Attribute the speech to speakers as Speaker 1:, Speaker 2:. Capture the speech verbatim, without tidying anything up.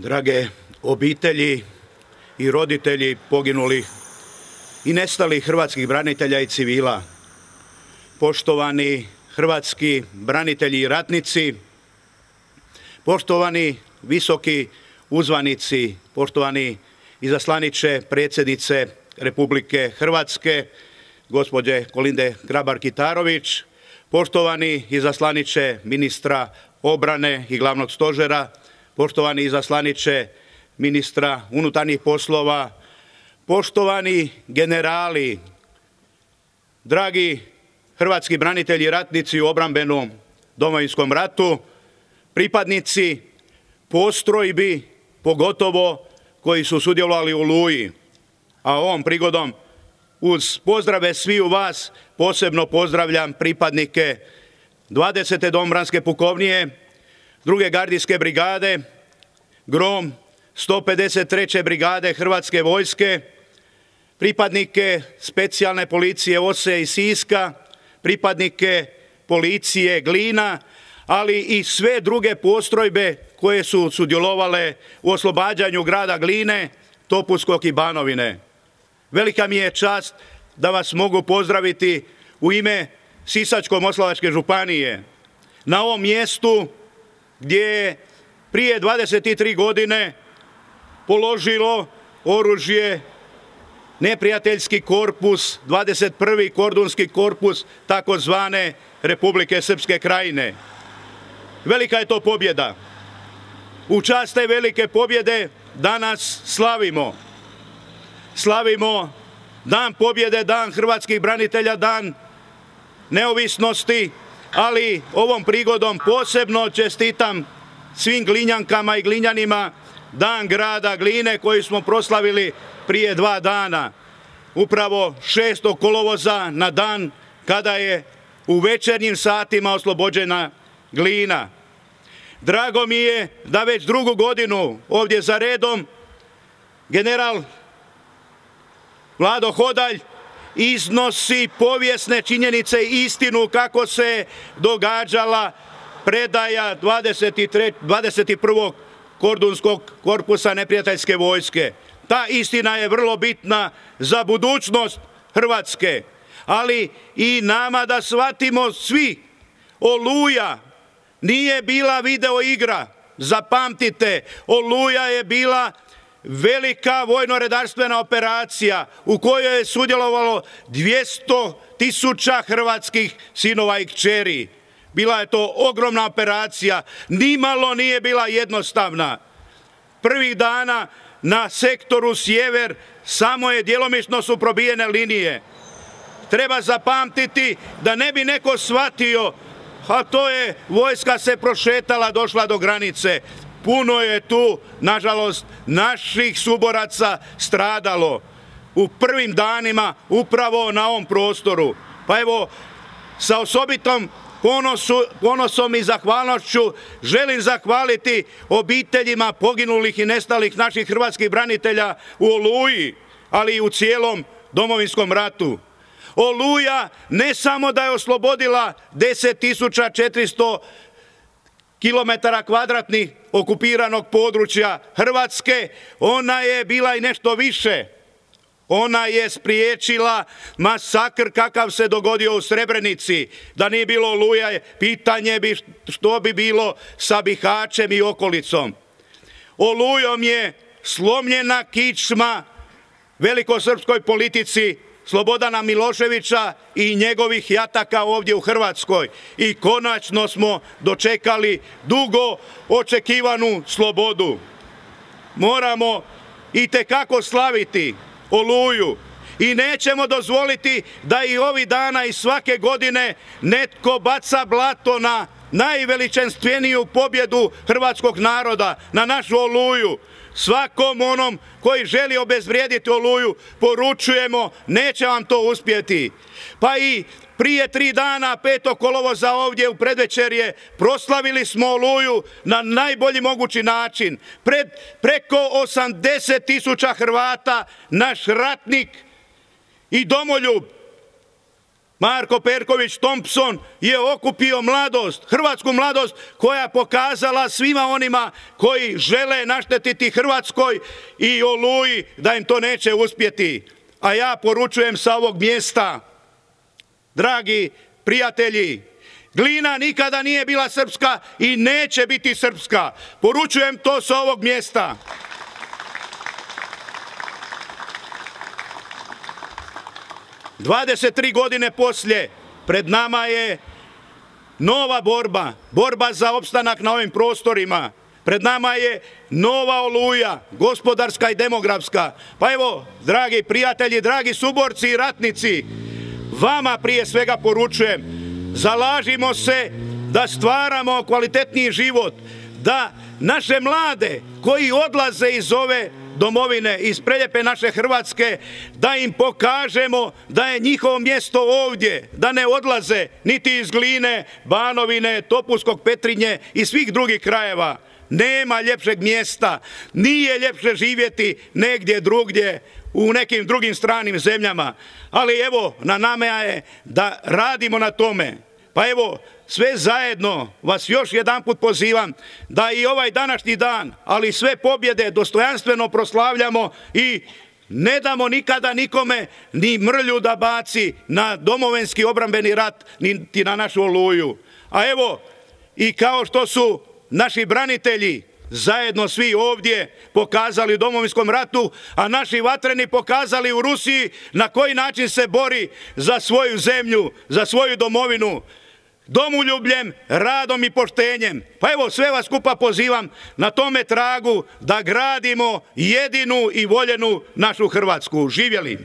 Speaker 1: Drage obitelji i roditelji poginulih i nestalih hrvatskih branitelja i civila, poštovani hrvatski branitelji i ratnici, poštovani visoki uzvanici, poštovani izaslaniče predsjednice Republike Hrvatske, gospođe Kolinde Grabar-Kitarović, poštovani izaslaniče ministra obrane i glavnog stožera, poštovani izaslaniče ministra unutarnjih poslova, poštovani generali, dragi hrvatski branitelji i ratnici u obrambenom Domovinskom ratu, pripadnici postrojbi, pogotovo koji su sudjelovali u Oluji. A ovom prigodom uz pozdrave sviju vas posebno pozdravljam pripadnike dvadesete domobranske pukovnije, druge gardijske brigade, Grom, sto pedeset treće brigade Hrvatske vojske, pripadnike specijalne policije Ose i Siska, pripadnike policije Glina, ali i sve druge postrojbe koje su sudjelovale u oslobađanju grada Gline, Topuskog i Banovine. Velika mi je čast da vas mogu pozdraviti u ime Sisačko-moslavačke županije na ovom mjestu gdje je prije dvadeset tri godine položilo oružje neprijateljski korpus, dvadeset prvi kordunski korpus takozvane Republike Srpske Krajine. Velika je to pobjeda. U čast te velike pobjede danas slavimo. Slavimo Dan pobjede, Dan hrvatskih branitelja, Dan neovisnosti, ali ovom prigodom posebno čestitam svim Glinjankama i Glinjanima Dan grada Gline koji smo proslavili prije dva dana. Upravo šestog kolovoza na dan kada je u večernjim satima oslobođena Glina. Drago mi je da već drugu godinu ovdje za redom general Vlado Hodalj iznosi povijesne činjenice i istinu kako se događala predaja dvadeset prvog kordunskog korpusa neprijateljske vojske. Ta istina je vrlo bitna za budućnost Hrvatske, ali i nama da shvatimo svi, Oluja nije bila video igra. Zapamtite, Oluja je bila velika vojno-redarstvena operacija u kojoj je sudjelovalo dvjesto tisuća hrvatskih sinova i kćeri. Bila je to ogromna operacija, nimalo nije bila jednostavna. Prvih dana na sektoru sjever samo je djelomično su probijene linije. Treba zapamtiti da ne bi neko shvatio, a to je vojska se prošetala, došla do granice. Puno je tu, nažalost, naših suboraca stradalo u prvim danima upravo na ovom prostoru. Pa evo, sa osobitom ponosu, ponosom i zahvalnošću želim zahvaliti obiteljima poginulih i nestalih naših hrvatskih branitelja u Oluji, ali i u cijelom Domovinskom ratu. Oluja ne samo da je oslobodila deset tisuća četiristo kilometara kvadratnih okupiranog područja Hrvatske, ona je bila i nešto više. Ona je spriječila masakr kakav se dogodio u Srebrenici. Da nije bilo Oluje, pitanje bi što bi bilo sa Bihaćem i okolicom. Olujom je slomljena kičma velikosrpskoj politici Slobodana Miloševića i njegovih jataka ovdje u Hrvatskoj. I konačno smo dočekali dugo očekivanu slobodu. Moramo itekako slaviti Oluju i nećemo dozvoliti da i ovih dana i svake godine netko baca blato na najveličanstveniju pobjedu hrvatskog naroda, na našu Oluju. Svakom onom koji želi obezvrijediti Oluju poručujemo, neće vam to uspjeti. Pa i prije tri dana, petog kolovoza ovdje u predvečerje, proslavili smo Oluju na najbolji mogući način. Pred preko osamdeset tisuća Hrvata naš ratnik i domoljub Marko Perković Thompson je okupio mladost, hrvatsku mladost koja pokazala svima onima koji žele naštetiti Hrvatskoj i Oluji da im to neće uspjeti. A ja poručujem sa ovog mjesta, dragi prijatelji, Glina nikada nije bila srpska i neće biti srpska. Poručujem to sa ovog mjesta. dvadeset tri godine poslije pred nama je nova borba, borba za opstanak na ovim prostorima. Pred nama je nova Oluja, gospodarska i demografska. Pa evo, dragi prijatelji, dragi suborci i ratnici, vama prije svega poručujem, zalažimo se da stvaramo kvalitetniji život, da naše mlade koji odlaze iz ove domovine, iz preljepe naše Hrvatske, da im pokažemo da je njihovo mjesto ovdje, da ne odlaze niti iz Gline, Banovine, Topuskog, Petrinje i svih drugih krajeva. Nema ljepšeg mjesta, nije ljepše živjeti negdje drugdje u nekim drugim stranim zemljama. Ali evo, na nama je da radimo na tome. Pa evo, sve zajedno vas još jedanput pozivam da i ovaj današnji dan, ali sve pobjede dostojanstveno proslavljamo i ne damo nikada nikome ni mrlju da baci na domovinski obrambeni rat, niti na našu Oluju. A evo, i kao što su naši branitelji zajedno svi ovdje pokazali u domovinskom ratu, a naši vatreni pokazali u Rusiji na koji način se bori za svoju zemlju, za svoju domovinu, domoljubljem, radom i poštenjem. Pa evo, sve vas skupa pozivam na tome tragu da gradimo jedinu i voljenu našu Hrvatsku. Živjeli!